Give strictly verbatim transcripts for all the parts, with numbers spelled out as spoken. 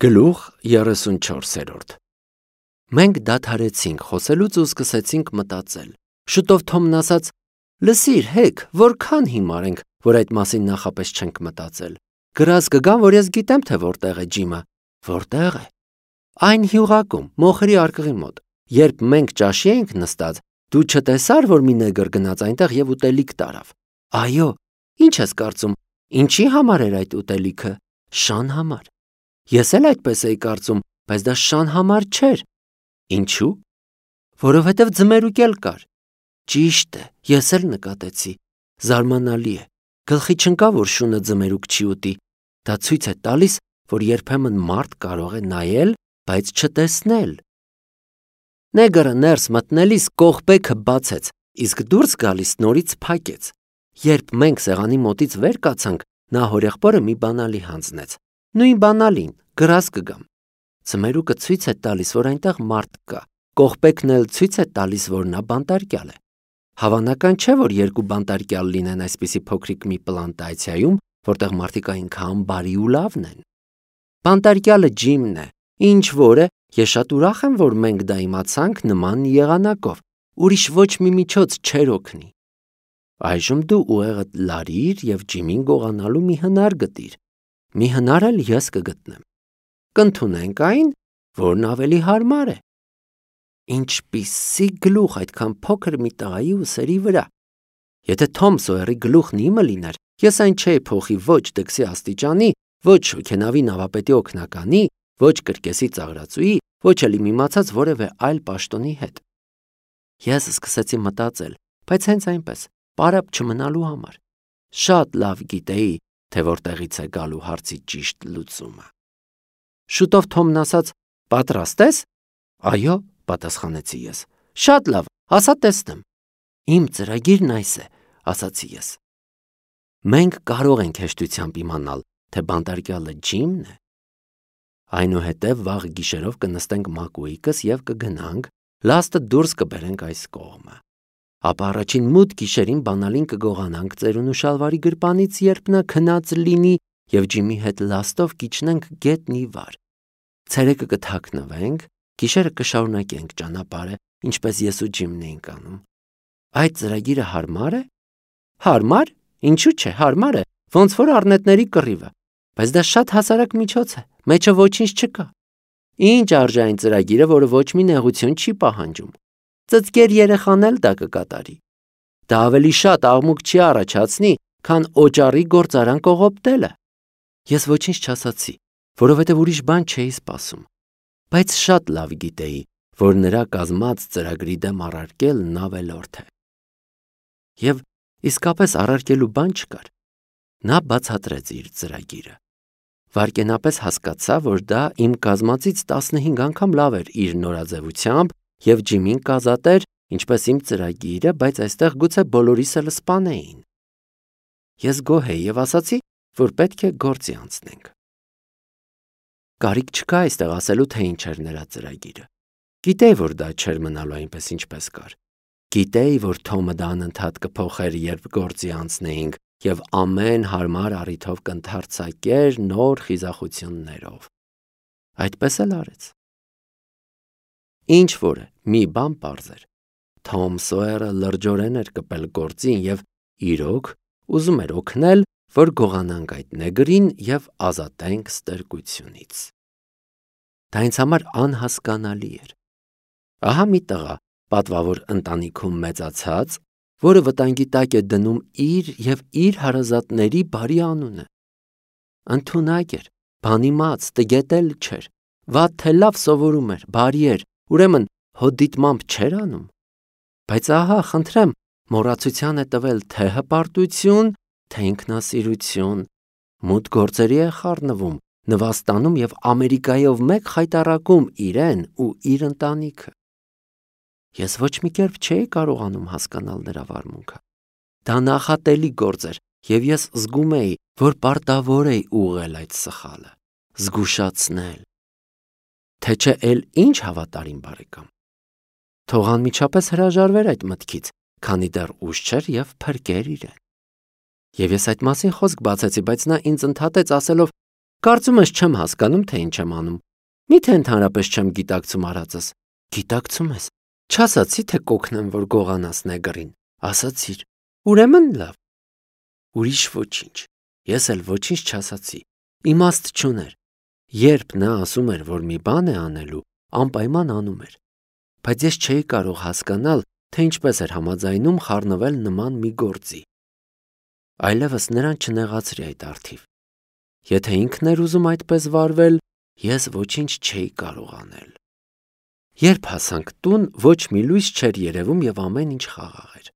Գլուխ երեսունչորսերորդ Մենք դադարեցինք խոսելուց ու սկսեցինք մտածել։ Շուտով Թոմն ասաց. «Լսիր, հեկ, որքան հիմար ենք, որ այդ մասին նախապես չենք մտածել։ Գրած կգան, որ ես գիտեմ, թե որտեղ է Ջիմը»։ Որտեղ է։ Այն հյուղակում, մոխրի արկղի մոտ։ Երբ մենք ճաշի էինք նստած, դու չտեսար, որ մի նեգր գնաց այնտեղ եւ ուտելիք տարավ։ Այո, ինչ ես կարծում, ինչի համար էր այդ ուտելիքը։ Շան համար։ Ես էլ այդպես էի կարծում, բայց դա շան համար չէր։ Ինչու՞։ Որովհետև ձմերուկ էլ կար։ Ճիշտ է, ես էլ նկատեցի։ Զարմանալի է։ Գլխի չընկավ, որ շունը ձմերուկ չի ուտի։ Դա ցույց է տալիս, որ երբեմն մարդ կարող է նայել, բայց չտեսնել։ Նեգրը ներս մտնելիս կողպեքը բացեց, իսկ դուրս գալիս նորից փակեց։ Երբ մենք սեղանի մոտից վեր կացանք, նա հորեղբորը մի բանալի հանձնեց։ Նույն բանալին, գրած կգամ։ Ձմերուկը ցույց է տալիս, որ այնտեղ մարդ կա։ Կողպեքն էլ ցույց է տալիս, որ նա բանտարկյալ է։ Հավանական չէ, որ երկու բանտարկյալ լինեն այսպիսի փոքրիկ մի պլանտացիայում, որտեղ մարդիկ այնքան բարի ու լավն են։ Բանտարկյալը Ջիմն է, ինչ որ է, ես շատ ուրախ եմ, որ մենք դա իմացանք նման եղանակով։ Ուրիշ ոչ մի միջոց չէր օգնի։ Այժմ դու ուղեղդ լարիր եւ Ջիմին գողանալու մի հնար գտիր։ Մի հնար էլ ես կգտնեմ։ Կընդունենք այն, որն ավելի հարմար է։ Ինչպիսի գլուխ այդքան փոքր մի տղայի ուսերի վրա։ Եթե Թոմ Սոյերի գլուխն իմը լիներ, ես այն չէի փոխի ոչ դքսի աստիճանի, ոչ հոգենավի նավապետի օգնականի, ոչ կրկեսի ծաղրածուի, ոչ էլ իմ իմացած որևէ այլ պաշտոնի հետ։ Ես սկսեցի մտածել, բայց հենց այնպես, պարապ չմնալու համար։ Շատ լավ գիտեի, թե որտեղից է գալու հարցի ճիշտ լուծումը։ Շուտով Թոմն ասաց. «Պատրաստ ես»։ Այո, պատասխանեցի ես։ Շատ լավ, ասա տեսնեմ։ Իմ ծրագիրն այս է, ասացի ես։ Մենք կարող ենք հեշտությամբ իմանալ, թե բանտարկյալը Ջիմն է։ Այնուհետև վաղ գիշերով կնստենք մակուիկս եւ կգնանք, լաստը դուրս կբերենք այս կողմը։ Ապա առաջին մութ գիշերին բանալին կգողանանք ծերունու շալվարի գրպանից, երբ նա քնած լինի, եւ Ջիմի հետ լաստով կիջնենք գետնի վար։ Ցերեկը կթաքնվենք, գիշերը կշարունակենք ճանապարհը, ինչպես ես ու Ջիմն էինք անում։ Այդ ծրագիրը հարմար է։ Հարմար։ Ինչու՞ չէ, հարմար է, ոնց որ առնետների կռիվը։ Բայց դա շատ հասարակ միջոց է, մեջը ոչինչ չկա։ Ինչ արժե այն ծրագիրը, որը ոչ մի նեղություն չի պահանջում։ Ծծկեր երեխան էլ դա կկատարի։ Դա ավելի շատ աղմուկ չի առաջացնի, քան օճառի գործարան կողոպտելը։ Ես ոչինչ չասացի, որովհետև ուրիշ բան չէի սպասում, բայց շատ լավ գիտեի, որ նրա կազմած ծրագրի դեմ առարկելն ավելորդ է։ Եվ իսկապես առարկելու բան չկար։ Նա բացատրեց իր ծրագիրը։ Վարկենապես հասկացա, որ դա իմ կազմածից տասնհինգ անգամ լավ էր իր նորաձևությամբ եւ Ջիմին կազատեր, ինչպես իմ ծրագիրը, բայց այստեղ գուցե բոլորիս էլ սպանեին։ Ես գոհ էի եւ ասացի, որ պետք է գործի անցնենք։ Կարիք չկա այստեղ ասելու, թե ինչ էր նրա ծրագիրը։ Գիտեի, որ դա չէր մնալու այնպես, ինչպես կար։ Գիտեի, որ Թոմը դա անընդհատ կփոխեր, երբ գործի անցնեինք, եւ ամեն հարմար առիթով կընթարցակեր նոր խիզախություններով։ Այդպես էլ արեց։ Ինչ որ է, մի բան պարզ էր։ Թոմ Սոյերը լրջորեն էր կպել գործին եւ իրոք ուզում էր օգնել, որ գողանանք այդ նեգրին եւ ազատենք ստրկությունից։ Դա ինձ համար անհասկանալի էր։ Ահա մի տղա, պատվավոր ընտանիքում մեծացած, որը վտանգի տակ է դնում իր եւ իր հարազատների բարի անունը։ Ընդունակ էր, բանիմաց, տգետել չէր, վատ թե լավ սովորում էր, բարի էր, ուրեմն հոդիտմամբ չէր անում։ Բայց ահա, խնդրեմ, մոռացության է տվել թե հպարտություն, թե ինքնասիրություն, մութ գործերի է խառնվում, նվաստանում եւ Ամերիկայով մեկ խայտառակում իրեն ու իր ընտանիքը։ Ես ոչ մի կերպ չէի կարողանում հասկանալ նրա վարմունքը։ Դա նախատելի գործ էր, եւ ես զգում էի, որ պարտավոր էի ուղղել այդ սխալը, զգուշացնել։ Թե չէ էլ ինչ հավատարիմ բարեկամ։ Թող անմիջապես հրաժարվեր այդ մտքից, քանի դեռ ուշ չէր եւ փրկեր իրեն։ Եվ ես այդ մասին խոսք բացեցի, բայց նա ինձ ընդհատեց ասելով. Կարծում ես չեմ հասկանում, թե ինչ եմ անում։ Միթե ընդհանրապես չեմ գիտակցում արածս։ Գիտակցում ես։ Չասացի, թե կօգնեմ, որ գողանաս նեգրին։ Ասացիր։ Ուրեմն լավ։ Ուրիշ ոչինչ։ Ես էլ ոչինչ չասացի։ Իմաստ չուներ։ Երբ նա ասում էր, որ մի բան է անելու, անպայման անում էր։ Բայց ես չէի կարող հասկանալ, թե ինչպես էր համաձայնում խառնվել նման մի գործի։ Այլևս նրան չնեղացրի այդ առթիվ։ Եթե ինքն էր ուզում այդպես վարվել, ես ոչինչ չէի կարող անել։ Երբ հասանք տուն, ոչ մի լույս չէր երևում և ամեն ինչ խաղաղ էր։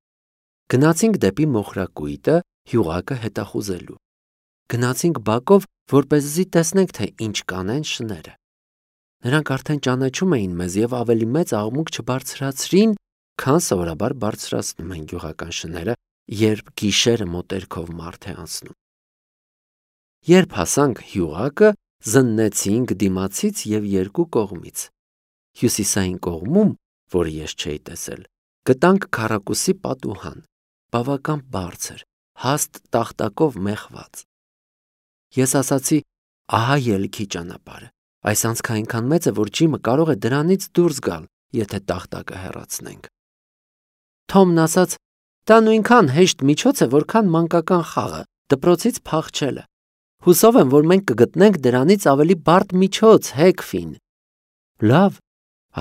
Գնացինք դեպի մոխրակույտը, հյուղակը հետախուզելու։ Գնացինք բակով, որպեսզի տեսնենք, թե ինչ կանեն շները։ Նրանք արդեն ճանաչում էին մեզ և ավելի մեծ աղմուկ չբարձրացրին, քան սովորաբար բարձրացնում են գյուղական շները, երբ գիշերը մոտերքով մարդ է անցնում։ Երբ հասանք հյուղակը, զննեցինք դիմացից և երկու կողմից։ Հյուսիսային կողմում, որը ես չէի տեսել, գտանք քառակուսի պատուհան, բավական բարձր, հաստ տախտակով մեխված։ Ես ասացի, ահա ելքի ճանապարհը, այս անցքը այնքան մեծ է, որ ջիմը կարող է դրանից դուրս գալ, եթե տախտակը հեռացնենք։ Թոմն ասաց, դա նույնքան հեշտ միջոց է, որքան մանկական խաղը, դպրոցից փախչելը։ Հուսով եմ, որ մենք կգտնենք դրանից ավելի բարդ միջոց, Հեքֆին։ Լավ,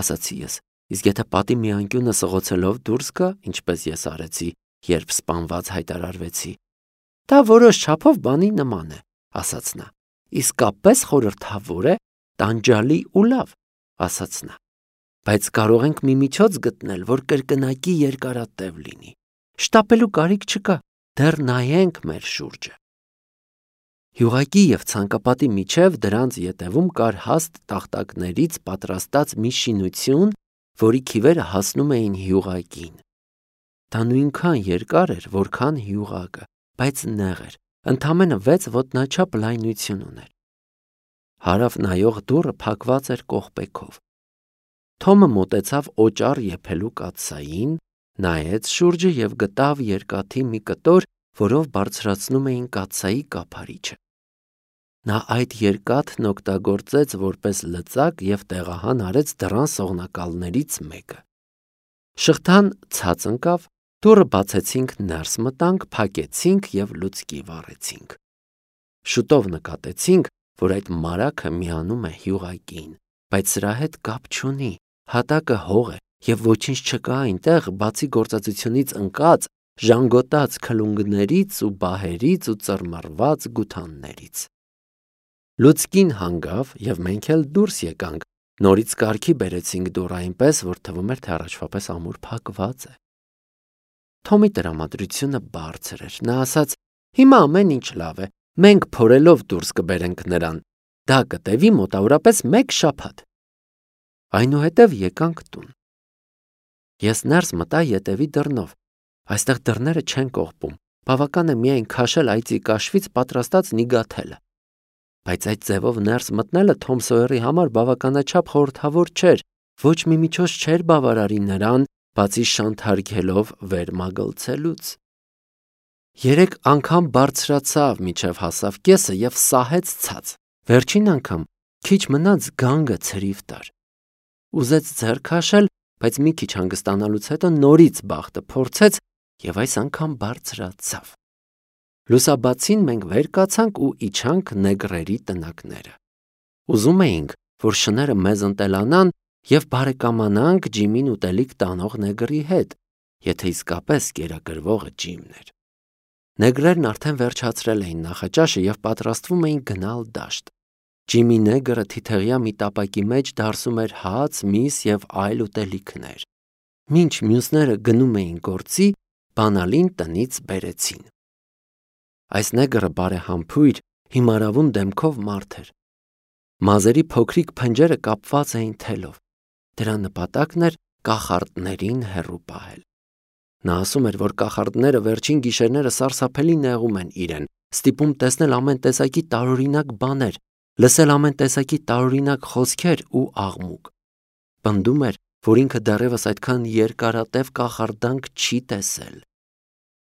ասացի ես, իսկ եթե պատի մի անկյունը սղոցելով դուրս գա, ինչպես ես արեցի, երբ սպանված հայտարարվեցի։ Դա որոշ չափով բանի նման է, ասաց նա։ Իսկապես խորհրդավոր է, տանջալի ու լավ, ասաց նա։ Բայց կարող ենք մի միջոց գտնել, որ կրկնակի երկարատև լինի։ Շտապելու կարիք չկա, դեռ նայենք մեր շուրջը։ Հյուղակի և ցանկապատի միջև դրանց ետևում կար հաստ տախտակներից պատրաստած մի շինություն, որի քիվերը հասնում էին հյուղակին։ Դա նույնքան երկար էր, որքան հյուղակը, բայց նեղ էր, ընդամենը վեց ոտնաչափ լայնություն ուներ։ Հարավ նայող դուռը փակված էր կողպեքով։ Թոմը մոտեցավ օճառ եփելու կաթսային, նայեց շուրջը և գտավ երկաթի մի կտոր, որով բարձրացնում էին կաթսայի կափարիչը։ Նա այդ երկաթն օգտագործեց որպես լծակ և տեղահան արեց դռան սողնակալներից մեկը։ Շղթան ցած ընկավ, դուռը բացեցինք, ներս մտանք, փակեցինք և լուցկի վառեցինք։ Շուտով նկատեցինք, որ այդ մարագը միանում է հյուղակին, բայց սրա հետ կապ չունի, հատակը հող է և ոչինչ չկա այնտեղ, բացի գործածությունից ընկած, ժանգոտած քլունգներից ու բահերից ու ծռմռված գութաններից։ Լուցկին հանգավ և մենք էլ դուրս եկանք, նորից կարգի բերեցինք դուռը այնպես, որ թվում էր, թե առաջվա պես ամուր փակված է։ Թոմի տրամադրությունը բարձր էր, նա ասաց, հիմա ամեն ինչ լավ է, մենք փորելով դուրս կբերենք նրան, դա կտևի մոտավորապես մեկ շաբաթ։ Այնուհետև եկանք տուն։ Ես ներս մտա ետևի դռնով, այստեղ դռները չեն կողպում, բավական է միայն քաշել այծի կաշվից պատրաստած նիգաթելը։ Բայց այդ ձևով ներս մտնելը Թոմ Սոյերի համար բավականաչափ խորհրդավոր չէր, ոչ մի միջոց չէր բավարարի նրան, բացի շանթարգելով վեր մագլցելուց։ Երեք անգամ բարձրացավ, մինչև հասավ կեսը և սահեց ցած։ Վերջին անգամ քիչ մնաց գանգը ցրիվ տար։ Ուզեց ձեռ քաշել, բայց մի քիչ հանգստանալուց հետո նորից բախտը փորձեց և այս անգամ բարձրացավ։ Լուսաբացին մենք վեր կացանք ու իջանք նեգրերի տնակները։ Ուզում էինք, որ շները մեզ ընտելանան և բարեկամանանք Ջիմին ուտելիք տանող նեգրի հետ, եթե իսկապես կերակրվողը Ջիմն էր։ Նեգրերն արդեն վերջացրել էին նախաճաշը և պատրաստվում էին գնալ դաշտ։ Ջիմի նեգրը թիթեղյա մի տապակի մեջ դարսում էր հաց, միս և այլ ուտելիքներ։ Մինչ մյուսները գնում էին գործի, բանալին տնից բերեցին։ Այս նեգրը բարեհամբույր, հիմարավուն դեմքով մարդ էր։ Մազերի փոքրիկ փնջերը կապված էին թելով։ Դրա նպատակն էր կախարդներին հեռու պահել։ Նա ասում էր, որ կախարդները վերջին գիշերները սարսափելի նեղում են իրեն, ստիպում տեսնել ամեն տեսակի տարօրինակ բաներ, լսել ամեն տեսակի տարօրինակ խոսքեր ու աղմուկ։ Պնդում էր, որ ինքը դեռևս այդքան երկարատև կախարդանք չի տեսել։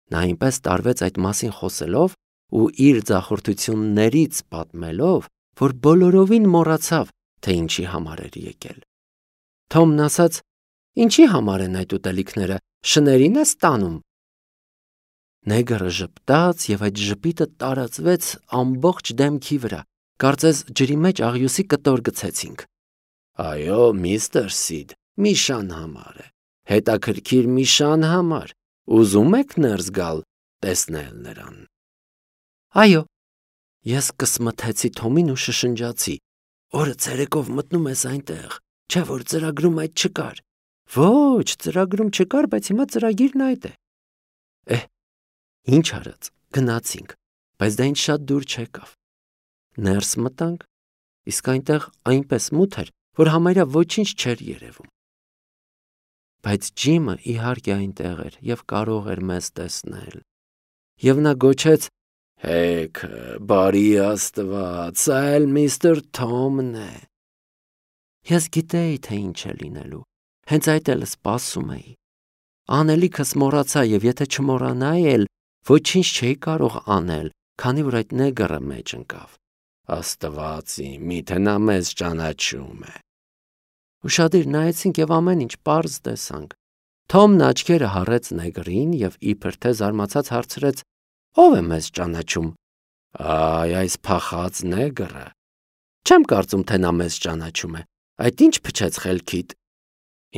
Նա այնպես տարվեց այդ մասին խոսելով ու իր ձախորդություններից պատմելով, որ բոլորովին մոռացավ, թե ինչի համար էր եկել։ Թոմն ասաց. «Ինչի համար են այդ ուտելիքները, շներին ես տանում»։ Նեգրը ժպտաց և այդ ժպիտը տարածվեց ամբողջ դեմքի վրա, կարծես ջրի մեջ աղյուսի կտոր գցեցինք։ Այո, միստր Սիդ, մի շան համար է, հետաքրքիր մի շան համար, ուզում եք ներս գալ, տեսնել նրան։ Այո, ես կսմթեցի Թոմին ու շշնջացի. Օրը ցերեկով մտնում ես այնտեղ, չէ՞ որ ծրագրում այդ չկար։ Ոչ, ծրագրում չկար, բայց հիմա ծրագիրն այդ է։ Էհ, ինչ արած, գնացինք, բայց դա ինձ շատ դուր չեկավ։ Ներս մտանք, իսկ այնտեղ այնպես մութ էր, որ համարյա ոչինչ չէր երևում։ Բայց Ջիմը իհարկե այնտեղ էր և կարող էր մեզ տեսնել։ Եվ նա գոչեց. «Հեք, բարի Աստված, սա էլ միստր Թոմն է»։ Ես գիտեի, թե ինչ է լինելու, հենց այդ էլ սպասում էի։ Անելիքս մոռացա և եթե չմոռանայի էլ, ոչինչ չէի կարող անել, քանի որ այդ նեգրը մեջ ընկավ։ Աստված իմ, միթե նա մեզ ճանաչում է։ Ուշադիր նայեցինք և ամեն ինչ պարզ տեսանք։ Թոմն աչքերը հառեց նեգրին և իբր թե զարմացած հարցրեց. «Ո՞վ է մեզ ճանաչում»։ Այ, այս փախած նեգրը։ Չեմ կարծում, թե նա մեզ ճանաչում է։ Այդ ինչ փչեց խելքիդ։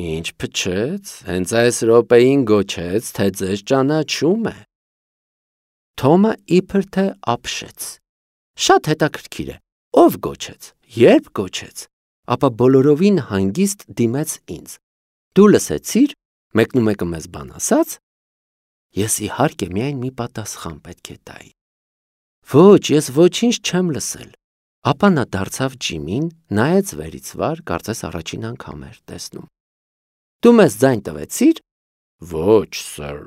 Ինչ փչեց, հենց այս րոպեին գոչեց, թե ձեզ ճանաչում է։ Թոմը իբր թե ապշեց։ Շատ հետաքրքիր է, ով գոչեց, երբ գոչեց, ապա բոլորովին հանգիստ դիմեց ինձ։ Դու լսեցի՞ր, մեկնումեկը մեզ բան ասաց։ Ես իհարկե միայն մի պատասխան պետք է տայի։ Ոչ, ես ոչինչ չեմ լսել։ Ապա նա դարձավ Ջիմին, նայեց վերից վար, կարծես առաջին անգամ էր տեսնում։ Դու մեզ ձայն տվեցի՞ր։ Ոչ, սըր,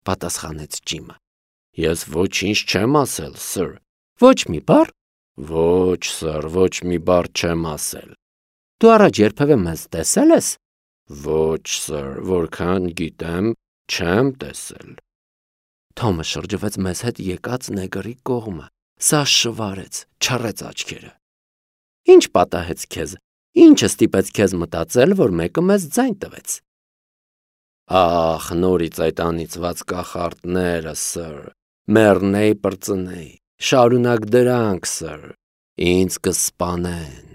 պատասխանեց Ջիմը։ Ես ոչինչ չեմ ասել, սըր։ Ոչ մի բառ։ Ոչ, սըր, ոչ մի բառ չեմ ասել։ Դու առաջ երբևէ մեզ տեսել ես։ Ոչ, սըր, որքան գիտեմ, չեմ տեսել։ Թոմը շրջվեց մեզ հետ եկած նեգրի կողմը, սա շվարեց, չռեց աչքերը։ Ինչ պատահեց քեզ, ինչը ստիպեց քեզ մտածել, որ մեկը մեզ ձայն տվեց։ Ախ, նորից այդ անիծված կախարդները, սըր, մեռնեի պրծնեի, շարունակ դրանք, սըր, ինձ կսպանեն։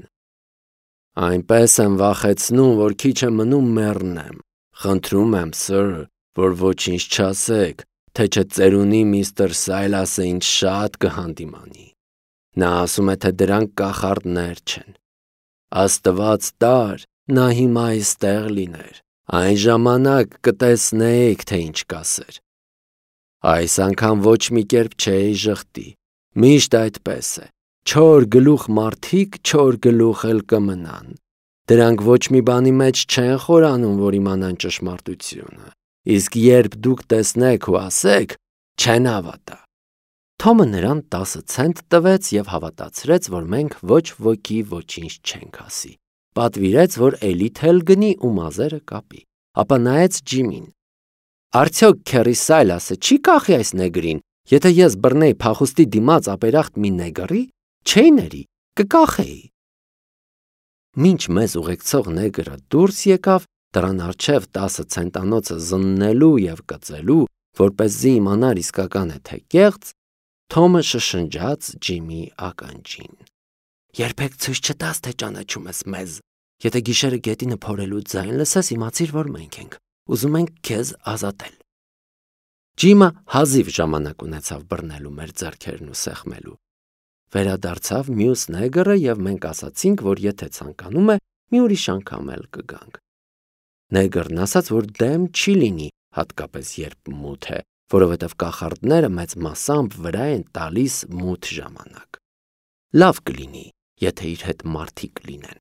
Այնպես եմ վախեցնում, որ քիչ է մնում մեռնեմ։ Խնդրում եմ, սըր, որ ոչինչ չասեք, թե չէ ծերունի միստր Սայլասը ինձ շատ կհանդիմանի։ Նա ասում է, թե դրանք կախարդներ չեն։ Աստված տար, նա հիմա այստեղ լիներ, այն ժամանակ կտեսնեիք, թե ինչ կասեր։ Այս անգամ ոչ մի կերպ չէի ժխտի, միշտ այդպես է, չոր գլուխ մարդիկ չոր գլուխ էլ կմնան։ Դրանք ոչ մի բանի մեջ չեն խորանում, որ իմանան ճշմարտությունը, իսկ երբ դուք տեսնեք ու ասեք, չեն հավատա։ Թոմը նրան տասը ցենտ տվեց և հավատացրեց, որ մենք ոչ ոքի ոչինչ չենք ասի։ Պատվիրեց, որ էլի թել գնի ու մազերը կապի, ապա նայեց Ջիմին։ Արդյոք քեռի Սայլասը չի կախի այս նեգրին, եթե ես բռնեի փախուստի դիմաց ապերախտ մի նեգրի, չէի ների, կկախեի։ Մինչ մեզ ուղեկցող նեգրը դուրս եկավ, դրան առջև տասը ցենտանոցը զննելու և կծելու, որպեսզի իմանար իսկական է թե կեղծ, Թոմը շշնջաց Ջիմի ականջին. Երբեք ցույց չտաս, թե ճանաչում ես մեզ։ Եթե գիշերը գետինը փորելու ձայն լսես, իմացիր, որ մենք ենք, ուզում ենք քեզ ազատել։ Ջիմը հազիվ ժամանակ ունեցավ բռնելու մեր ձեռքերն ու սեղմելու։ Վերադարձավ մյուս նեգրը և մենք ասացինք, որ եթե ցանկանում է, մի ուրիշ անգամ էլ կգանք։ Նեգրն ասաց, որ դեմ չի լինի, հատկապես երբ մութ է, որովհետև կախարդները մեծ մասամբ վրա են տալիս մութ ժամանակ։ Լավ կլինի, եթե իր հետ մարդիկ լինեն։